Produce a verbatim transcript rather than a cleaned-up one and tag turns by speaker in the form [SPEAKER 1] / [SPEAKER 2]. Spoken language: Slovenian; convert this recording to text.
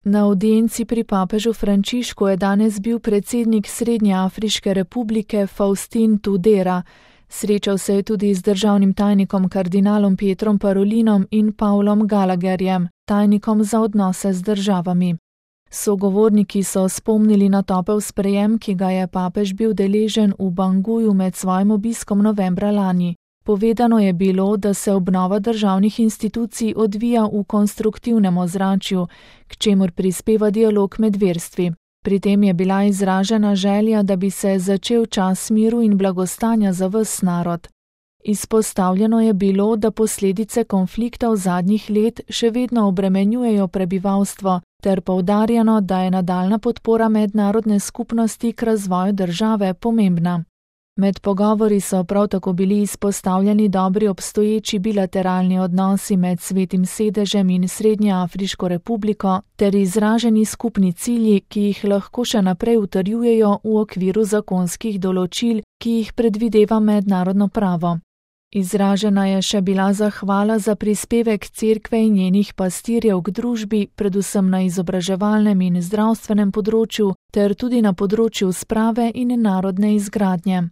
[SPEAKER 1] Na avdienci pri papežu Frančišku je danes bil predsednik Srednjeafriške republike Faustin Tudera. Srečal se je tudi z državnim tajnikom kardinalom Pietrom Parolinom in Pavlom Gallagherjem, tajnikom za odnose z državami. Sogovorniki so spomnili na topel sprejem, ki ga je papež bil deležen v Banguju med svojim obiskom novembra lani. Povedano je bilo, da se obnova državnih institucij odvija v konstruktivnem ozračju, k čemur prispeva dialog med verstvi. Pri tem je bila izražena želja, da bi se začel čas miru in blagostanja za ves narod. Izpostavljeno je bilo, da posledice konflikta v zadnjih let še vedno obremenjujejo prebivalstvo, ter poudarjeno, da je nadaljna podpora mednarodne skupnosti k razvoju države pomembna. Med pogovori so prav tako bili izpostavljeni dobri obstoječi bilateralni odnosi med Svetim sedežem in Srednjeafriško republiko ter izraženi skupni cilji, ki jih lahko še naprej utrjujejo v okviru zakonskih določil, ki jih predvideva mednarodno pravo. Izražena je še bila zahvala za prispevek cerkve in njenih pastirjev k družbi, predvsem na izobraževalnem in zdravstvenem področju ter tudi na področju sprave in narodne izgradnje.